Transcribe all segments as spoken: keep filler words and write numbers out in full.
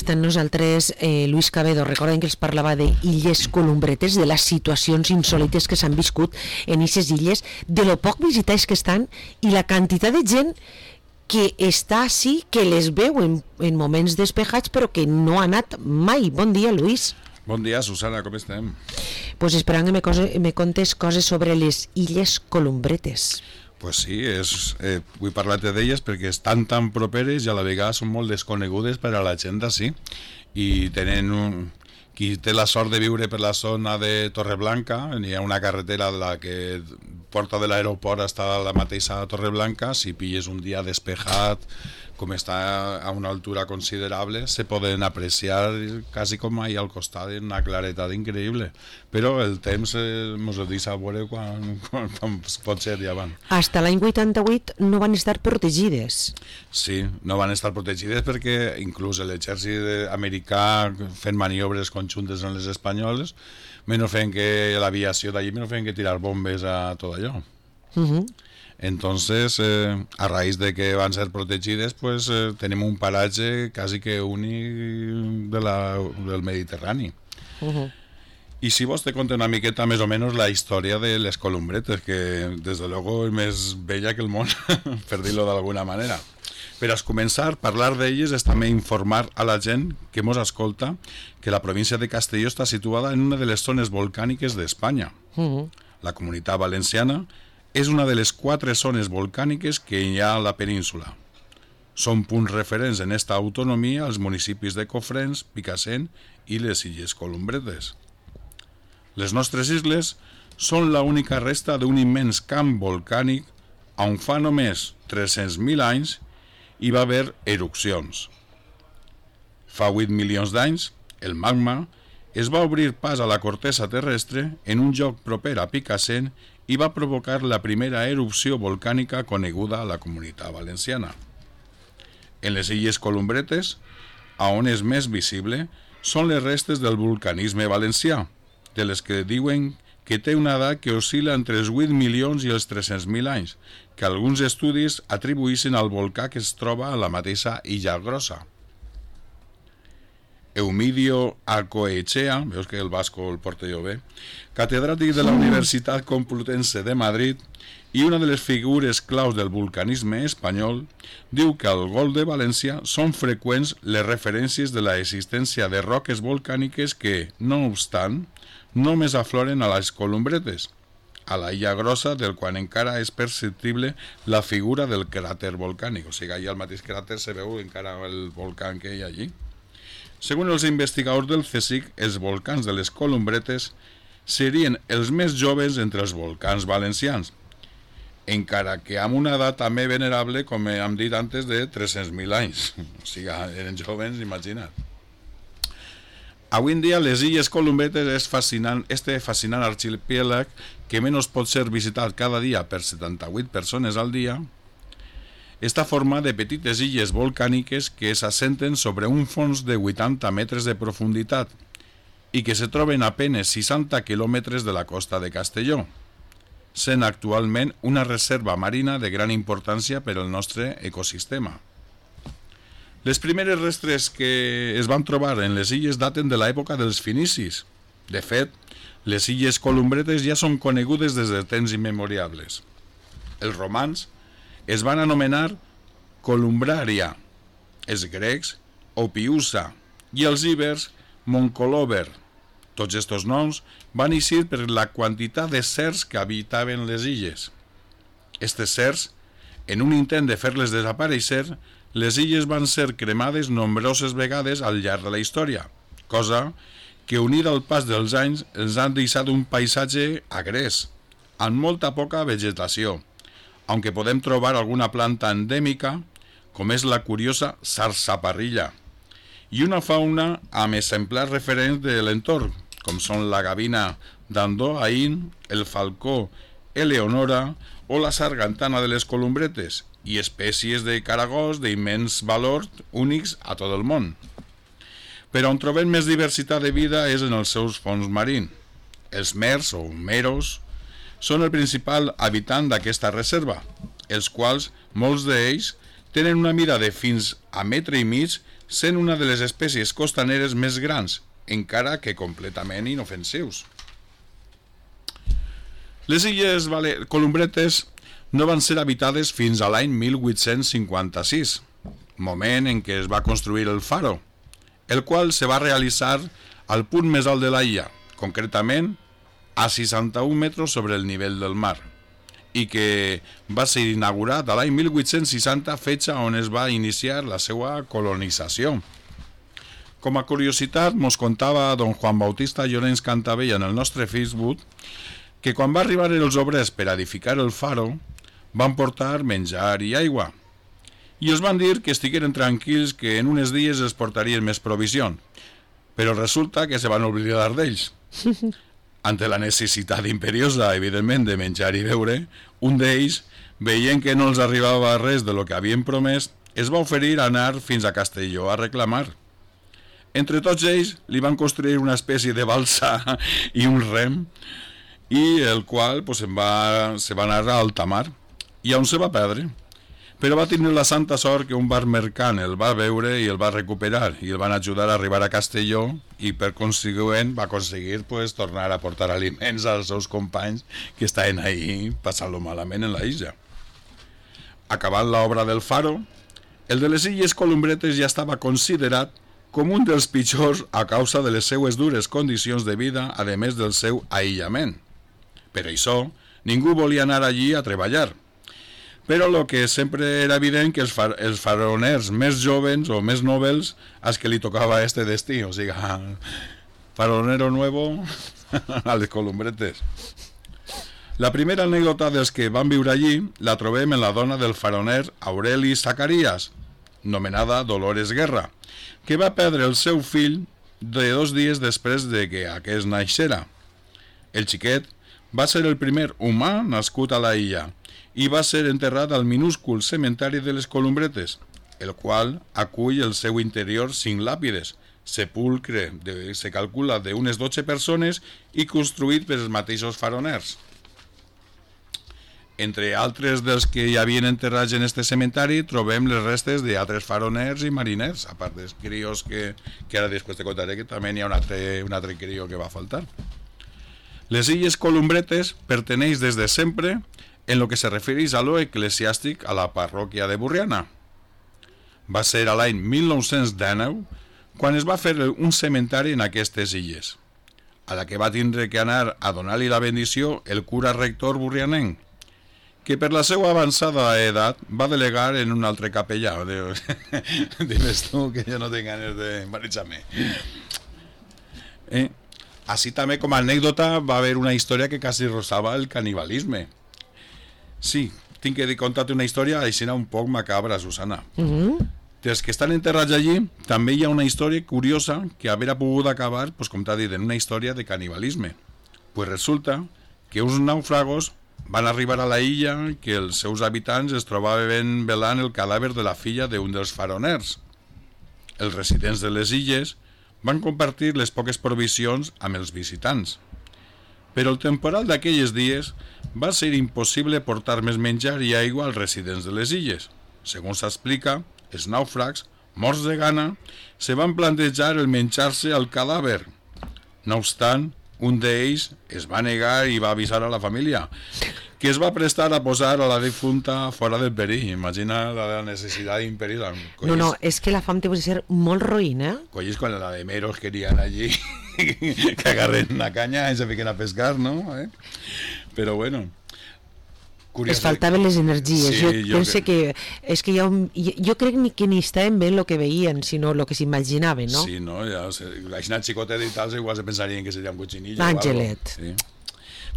està amb nosaltres eh, Luis Cabedo. Recorden que els parlava d'illes Columbretes, de les situacions insòlites que s'han viscut en aquestes illes, de lo poc visitades que estan i la quantitat de gent que està així, que les veu en, en moments despejats però que no ha anat mai. Bon dia, Luis. Bon dia, Susana, com estem? Pues esperant que me, cose, me contes coses sobre les illes Columbretes. Pues sí, és, eh, vull parlar-te d'elles perquè estan tan properes i a la vegada són molt desconegudes per a la gent d'ací. I tenen un... Qui té la sort de viure per la zona de Torreblanca, hi ha una carretera la que porta de l'aeroport està a la mateixa Torreblanca. Si pilles un dia despejat, com està a una altura considerable, se poden apreciar quasi com ahí al costat, una claretat increïble. Però el temps eh, mos ho deixa veure quan, quan, quan pot ser ja van. Hasta l'any vuitanta-vuit no van estar protegides. Sí, no van estar protegides perquè inclús l'exèrcit americà fent maniobres conjuntes amb les espanyoles, menys fent que l'aviació d'allí, menys fent que tirar bombes a tot allò. Uh-huh. Entonces, eh, a raíz de que van ser protegides, pues eh, tenim un paratge quasi que únic de la, del Mediterrani. Uh-huh. I si vos te conto una miqueta més o menys la història de les Columbretes, que des de luego és més bella que el món, per dir-lo d'alguna manera. Per a començar, parlar d'elles és també informar a la gent que mos escolta que la província de Castelló està situada en una de les zones volcàniques d'Espanya. Uh-huh. La Comunitat Valenciana és una de les quatre zones volcàniques que hi ha a la península. Són punts referents en esta autonomia els municipis de Cofrents, Picassent i les Illes Columbretes. Les nostres isles són l'única resta d'un immens camp volcànic on fa només tres-cents mil anys hi va haver erupcions. Fa vuit milions d'anys, el magma es va obrir pas a la cortesa terrestre en un lloc proper a Picassent i va provocar la primera erupció volcànica coneguda a la Comunitat Valenciana. En les Illes Columbretes, a on és més visible, són les restes del vulcanisme valencià, de les que diuen que té una edat que oscil·la entre els vuit milions i els tres-cents mil anys, que alguns estudis atribuïssin al volcà que es troba a la mateixa Illa Grossa. Eumidio Arcoechea, veus que el vasco el porta jo bé, catedràtic de la Universitat Complutense de Madrid i una de les figures claus del vulcanisme espanyol, diu que al Golf de València són freqüents les referències de l'existència de roques volcàniques que, no obstant, només afloren a les Columbretes, a la Illa Grossa, del qual encara és perceptible la figura del cràter volcànic. O sigui, allà al mateix cràter se veu encara el volcà que hi ha allí. Segons els investigadors del CSIC, els volcans de les Columbretes serien els més joves entre els volcans valencians, encara que amb una edat també venerable, com hem dit antes, de tres-cents mil anys. O sigui, eren joves, imagina't. Avui en dia, les Illes Columbretes és fascinant, este fascinant arxipèlag que menys pot ser visitat cada dia per setanta-vuit persones al dia, està format de petites illes volcàniques que s'assenten sobre un fons de vuitanta metres de profunditat i que se troben a penes seixanta quilòmetres de la costa de Castelló, sent actualment una reserva marina de gran importància per al nostre ecosistema. Les primeres restes que es van trobar en les illes daten de l'època dels finicis. De fet, les Illes Columbretes ja són conegudes des de temps immemorials. Els romans es van anomenar Columbraria, els grecs Opiusa i els ibers Moncolover. Tots aquests noms van eixir per la quantitat de serps que habitaven les illes. Estes serps, en un intent de fer-les desaparèixer, les illes van ser cremades nombroses vegades al llarg de la història, cosa que, unida al pas dels anys, els han deixat un paisatge agrés, amb molta poca vegetació, aunque podem trobar alguna planta endèmica, com és la curiosa sarsaparrilla, i una fauna amb exemplars referents de l'entorn, com són la gavina d'Andoain, el falcó Eleonora o la sargantana de les Columbretes, i espècies de caragols d'immens valor únics a tot el món. Però on trobem més diversitat de vida és en els seus fons marins. Els mers o meros són el principal habitant d'aquesta reserva, els quals, molts d'ells, tenen una mida de fins a metre i mig sent una de les espècies costaneres més grans, encara que completament inofensius. Les illes Columbretes no van ser habitades fins a l'any mil vuit-cents cinquanta-sis, moment en què es va construir el faro, el qual se va realitzar al punt més alt de la illa, concretament a seixanta-un metres sobre el nivell del mar, i que va ser inaugurat a l'any mil vuit-cents seixanta, fetge on es va iniciar la seva colonització. Com a curiositat, mos contava don Juan Bautista Llorenç Cantavella en el nostre Facebook que quan va arribar els obrers per edificar el faro, van portar menjar i aigua, i els van dir que estigueren tranquils que en uns dies es portarien més provisions, però resulta que se van oblidar d'ells. Ante la necessitat imperiosa, evidentment, de menjar i beure, un d'ells, veient que no els arribava res de lo que havien promès, es va oferir a anar fins a Castelló a reclamar. Entre tots ells li van construir una espècie de balsa i un rem, i el qual pues, se'n va, se va anar a alta mar, i on se va perdre. Però va tenir la santa sort que un bar mercant el va veure i el va recuperar i el van ajudar a arribar a Castelló i per consegüent va aconseguir pues, tornar a portar aliments als seus companys que estaven ahí passant-lo malament en la illa. Acabant l'obra del faro, el de les illes Columbretes ja estava considerat com un dels pitjors a causa de les seues dures condicions de vida, a més del seu aïllament. Per això, ningú volia anar allí a treballar. Però el que sempre era evident que els, far els faroners més jovens o més nobles als que li tocava este destí, o sigui, faronero nuevo a les Columbretes. La primera anècdota dels que van viure allí la trobem en la dona del faroner Aureli Zacarías, nomenada Dolores Guerra, que va perdre el seu fill de dos dies després de que aquest naixera. El xiquet va ser el primer humà nascut a la illa i va ser enterrat al minúscul cementari de les Columbretes, el qual acull el seu interior cinc làpides, sepulcre de, se calcula d'unes dotze persones i construït per els mateixos faroners. Entre altres dels que hi havien enterrats en este cementari trobem les restes d'altres faroners i mariners, a part dels crios que, que ara després te contaré que també hi ha un altre, un altre crio que va faltar. Les illes Columbretes perteneix des de sempre en lo que se refereix a lo eclesiàstic a la parròquia de Borriana. Va ser a l'any mil nou-cents dinou quan es va fer un cementari en aquestes illes, a la que va tindre que anar a donar-li la bendició el cura rector borrianenc, que per la seva avançada edat va delegar en un altre capellà. Dimes tu que jo no tinc ganes de marejar-me. Eh? Així també com a anècdota va haver una història que quasi rozava el canibalisme. Sí, tinc que contar-te una història així un poc macabra, Susana. Mm-hmm. Dels que estan enterrats allí, també hi ha una història curiosa que haver pogut acabar, pues, com t'ha dit, en una història de canibalisme. Pues resulta que uns naufragos van arribar a la illa que els seus habitants es trobaven velant el cadàver de la filla d'un dels faroners. Els residents de les illes van compartir les poques provisions amb els visitants. Però el temporal d'aquells dies va ser impossible portar més menjar i aigua als residents de les illes. Segons s'explica, els nàufrags, morts de gana, se van plantejar el menjar-se al cadàver. No obstant, un d'ells es va negar i va avisar a la família, que es va prestar a posar a la difunta fora del perill. Imagina la necessitat imperiosa. No, no, és que la fam té que ser molt roïna. Eh? Colles quan la de meros querían allí que agarren una caña i se fiquen a pescar, ¿no? ¿Eh? Però bueno... Es faltaven les energies. Sí, jo, jo penso que... que és que jo, jo crec que ni estaven bé el que veien, sinó el que s'imaginaven, no? Sí, no? Ja, la xicotet i tal, igual se pensarien que seria un cochinillo. L'Àngelet. Sí.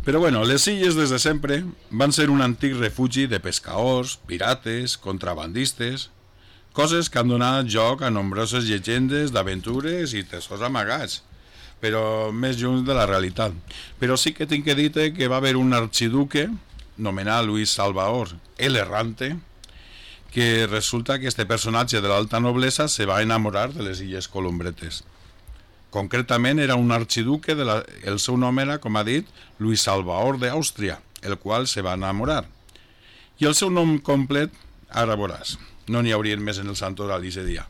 Però bueno, les illes des de sempre van ser un antic refugi de pescadors, pirates, contrabandistes, coses que han donat joc a nombroses llegendes d'aventures i tesors amagats, però més lluny de la realitat. Però sí que tinc que dir-te que va haver un arxiduque nomenat Luis Salvador el Errante, que resulta que este personatge de l'alta noblesa se va enamorar de les illes Columbretes. Concretament era un arxiduque, de la, el seu nom era, com ha dit, Luis Salvador d'Àustria, el qual se va enamorar. I el seu nom complet, ara veuràs, no n'hi haurien més en el santoral aquest dia.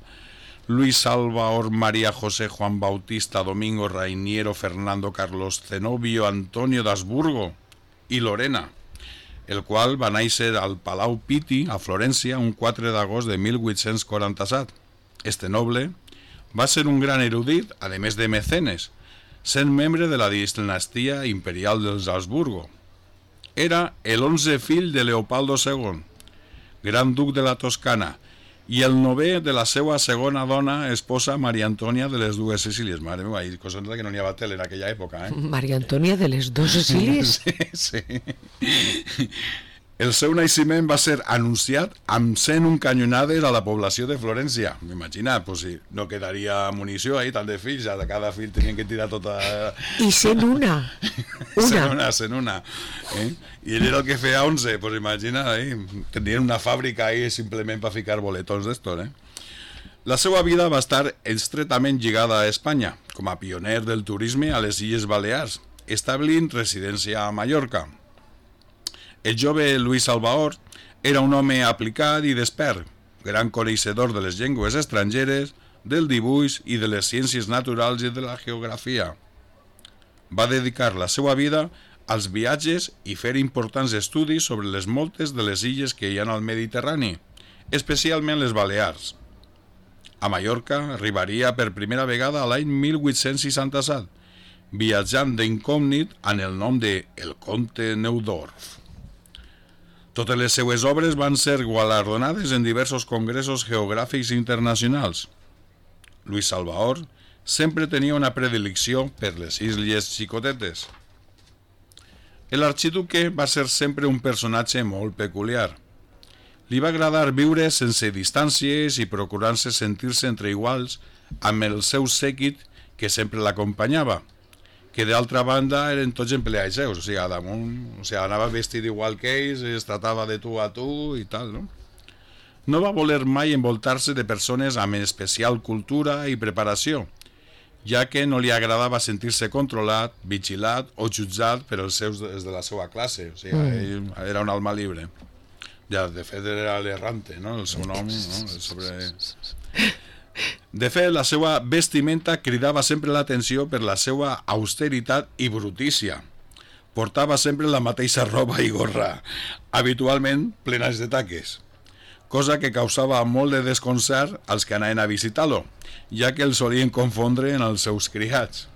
Luis Salvador María José Juan Bautista Domingo Rainiero Fernando Carlos Zenobio Antonio d'Habsburgo i Lorena, el qual va néixer al Palau Pitti, a Florència, un quatre d'agost de mil vuit-cents quaranta-set. Este noble va ser un gran erudit, a més de mecenes, sent membre de la dinastia imperial dels Habsburgo. Era el onze fill de Leopoldo segon, gran duc de la Toscana, i el novè de la seva segona dona, esposa, Maria Antònia de les dues Sicílies. Mare meva, hi cosa que no n'hi havia tele en aquella època, eh? Maria Antònia de les dues Sicílies? Sí, sí. El seu naixement va ser anunciat amb cent un canyonades a la població de Florència. M'imagina, pues, si no quedaria munició ahí, tant de fills, a cada fill tenien que tirar tota... I cent una. Una. Cent una, cent una. Eh? I ell era el que feia onze, pues imagina, eh? Tenien una fàbrica ahí simplement per ficar boletons d'estos, eh? La seva vida va estar estretament lligada a Espanya, com a pioner del turisme a les Illes Balears, establint residència a Mallorca. El jove Luis Salvador era un home aplicat i despert, gran coneixedor de les llengües estrangeres, del dibuix i de les ciències naturals i de la geografia. Va dedicar la seva vida als viatges i fer importants estudis sobre les moltes de les illes que hi ha al Mediterrani, especialment les Balears. A Mallorca arribaria per primera vegada l'any mil vuit-cents seixanta-set, viatjant d'incògnit en el nom de El Comte Neudorf. Totes les seues obres van ser guardonades en diversos congressos geogràfics internacionals. Luis Salvador sempre tenia una predilecció per les illes xicotetes. L'arxiduque va ser sempre un personatge molt peculiar. Li va agradar viure sense distàncies i procurant-se sentir-se entre iguals amb el seu sèquit que sempre l'acompanyava, que d'altra banda eren tots empleats seus, o sigui, damunt, o sigui, anava vestit igual que ells, es tratava de tu a tu i tal, no? No va voler mai envoltar-se de persones amb especial cultura i preparació, ja que no li agradava sentir-se controlat, vigilat o jutjat per els seus des de la seva classe, o sigui, mm. ell era un alma libre. Ja, de fet, era l'errante, no? El seu nom, no? Sobre... De fet, la seva vestimenta cridava sempre l'atenció per la seva austeritat i brutícia. Portava sempre la mateixa roba i gorra, habitualment plenes de taques, cosa que causava molt de desconcert als que anaven a visitar-lo, ja que el solien confondre en els seus criats.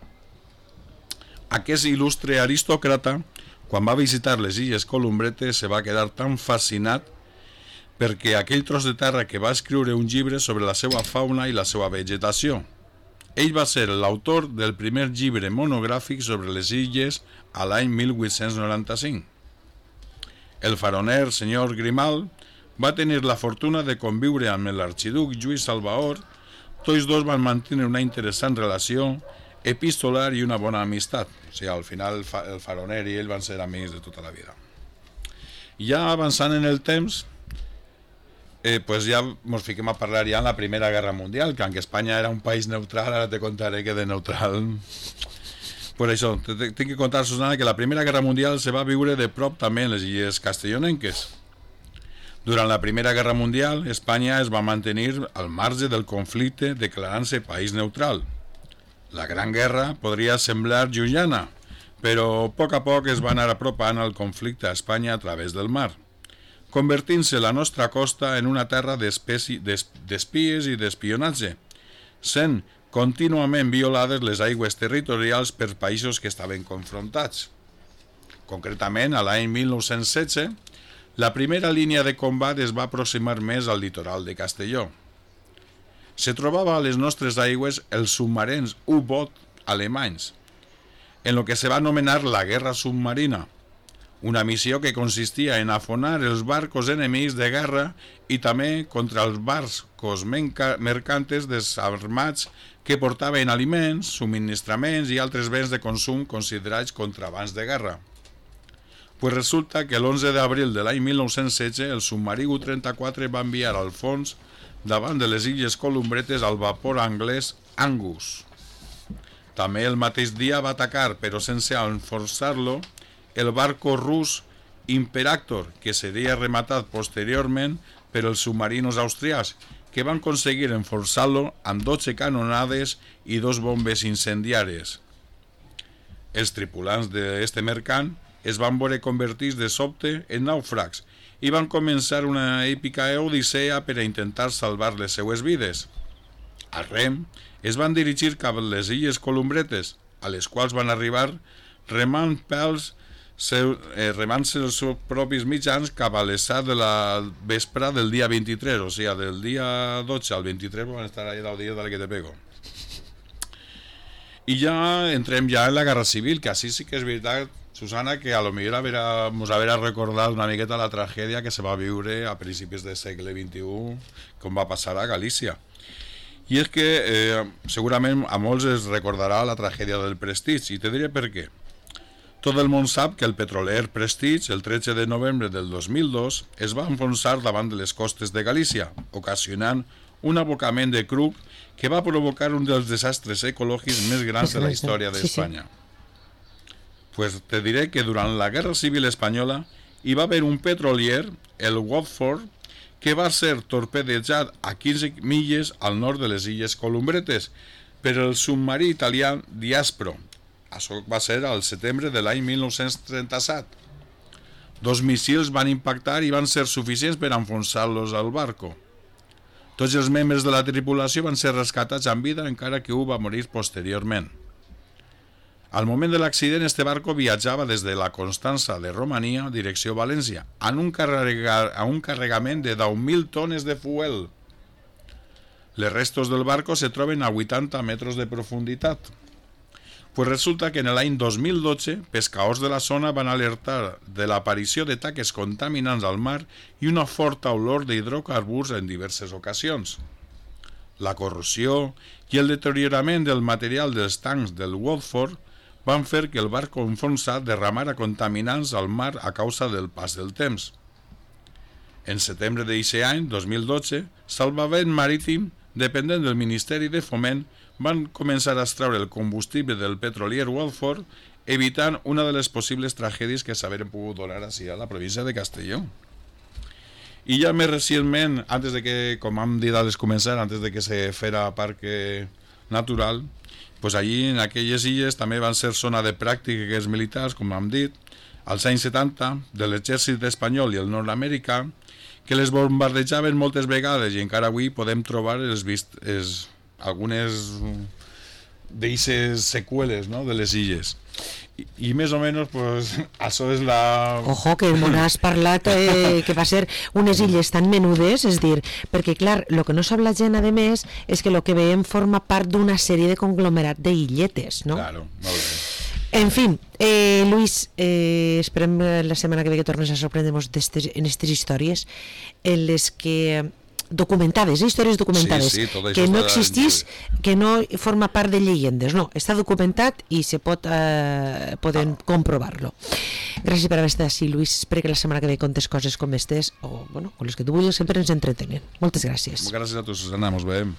Aquest il·lustre aristòcrata, quan va visitar les Illes Columbretes, se va quedar tan fascinat perquè aquell tros de terra que va escriure un llibre sobre la seva fauna i la seva vegetació. Ell va ser l'autor del primer llibre monogràfic sobre les illes a l'any mil vuit-cents noranta-cinc. El faroner senyor Grimal va tenir la fortuna de conviure amb l'arxiduc Lluís Salvador. Tots dos van mantenir una interessant relació epistolar i una bona amistat. O sigui, al final el faroner i ell van ser amics de tota la vida. Ja avançant en el temps, Eh, pues ja ens fiquem a parlar ja en la Primera Guerra Mundial, que aunque Espanya era un país neutral, ara te contaré que de neutral... Per això, tinc que contar, Susana, que la Primera Guerra Mundial se va viure de prop també en les illes castellonenques. Durant la Primera Guerra Mundial, Espanya es va mantenir al marge del conflicte declarant-se país neutral. La Gran Guerra podria semblar llunyana, però a poc a poc es va anar apropant al conflicte a Espanya a través del mar, convertint-se la nostra costa en una terra d'espies i d'espionatge, sent contínuament violades les aigües territorials per països que estaven confrontats. Concretament, a l'any mil nou-cents setze, la primera línia de combat es va aproximar més al litoral de Castelló. Se trobava a les nostres aigües els submarins U-boot alemanys, en el que se va anomenar la Guerra Submarina, una missió que consistia en afonar els barcos enemics de guerra i també contra els barcos mercantes desarmats que portaven aliments, subministraments i altres béns de consum considerats contrabands de guerra. Pues resulta que l'onze d'abril de l'any mil nou-cents setze el submarí U trenta-quatre va enviar al fons davant de les Illes Columbretes al vapor anglès Angus. També el mateix dia va atacar, però sense enforçar-lo, el barco rus Imperactor, que seria rematat posteriorment per els submarinos austriacs, que van aconseguir enforçar-lo amb dotze canonades i dos bombes incendiares. Els tripulants d'aquest mercant es van veure convertits de sobte en nàufrags i van començar una èpica odissea per a intentar salvar les seues vides. A rem, es van dirigir cap a les illes Columbretes, a les quals van arribar remant pels seu, eh, remant-se els seus propis mitjans cap a les set de la vespre del dia vint-i-tres, o sigui, del dia dotze al vint-i-tres van estar allà deu dies de la que te pego. I ja entrem ja en la Guerra Civil, que així sí que és veritat, Susana, que a lo millor haverà, mos haverà recordat una miqueta la tragèdia que se va viure a principis del segle vint-i-u, com va passar a Galícia. I és que eh, segurament a molts es recordarà la tragèdia del Prestige, i te diré per què. Tot el món sap que el petroler Prestige, el tretze de novembre del dos mil dos, es va enfonsar davant de les costes de Galícia, ocasionant un abocament de cruc que va provocar un dels desastres ecològics més grans de la història d'Espanya. Pues te diré que durant la Guerra Civil Espanyola hi va haver un petrolier, el Watford, que va ser torpedejat a quinze milles al nord de les illes Columbretes per el submarí italià Diaspro. Això va ser al setembre de l'any mil nou-cents trenta-set. Dos missils van impactar i van ser suficients per enfonsar-los al barco. Tots els membres de la tripulació van ser rescatats amb vida, encara que un va morir posteriorment. Al moment de l'accident, este barco viatjava des de la Constança de Romania, direcció València, en un, carrega, a un carregament de deu mil tones de fuel. Les restos del barco se troben a vuitanta metres de profunditat. Pues resulta que en l'any dos mil dotze, pescadors de la zona van alertar de l'aparició de taques contaminants al mar i una forta olor d'hidrocarburs en diverses ocasions. La corrosió i el deteriorament del material dels tancs del Watford van fer que el barco enfonsat derramara contaminants al mar a causa del pas del temps. En setembre d'aquest any, dos mil dotze, Salvament Marítim, dependent del Ministeri de Foment, van començar a extraure el combustible del petrolier Watford, evitant una de les possibles tragèdies que s'haveren pogut donar així a la província de Castelló. I ja més recentment, antes de que, com hem dit al començar, antes de que se fera parque natural, pues allí en aquelles illes també van ser zona de pràctiques militars, com hem dit, als anys setanta, de l'exèrcit espanyol i el nord-americà, que les bombardejaven moltes vegades i encara avui podem trobar els vist, els, algunes d'eixes seqüeles, no?, de les illes. I, i més o menys, pues, això és la... Ojo, que m'ho has parlat eh, que va ser unes illes tan menudes, és dir, perquè clar, el que no sap la gent, a més, és que el que veiem forma part d'una sèrie de conglomerat d'illetes, no? Claro, molt bé. En fin, eh, Luis, eh, esperem la setmana que ve que tornes a sorprendre-nos en aquestes històries en les que documentades, eh, històries documentades, sí, sí, que no existís, que no forma part de llegendes, no, està documentat i se pot eh, poden ah. comprovar-lo. Gràcies per haver estat així, Luis. Espero que la setmana que ve contes coses com estes o, bueno, con les que tu vulguis, sempre ens entretenen. Moltes gràcies. Gràcies a tu, Susana, mos veiem.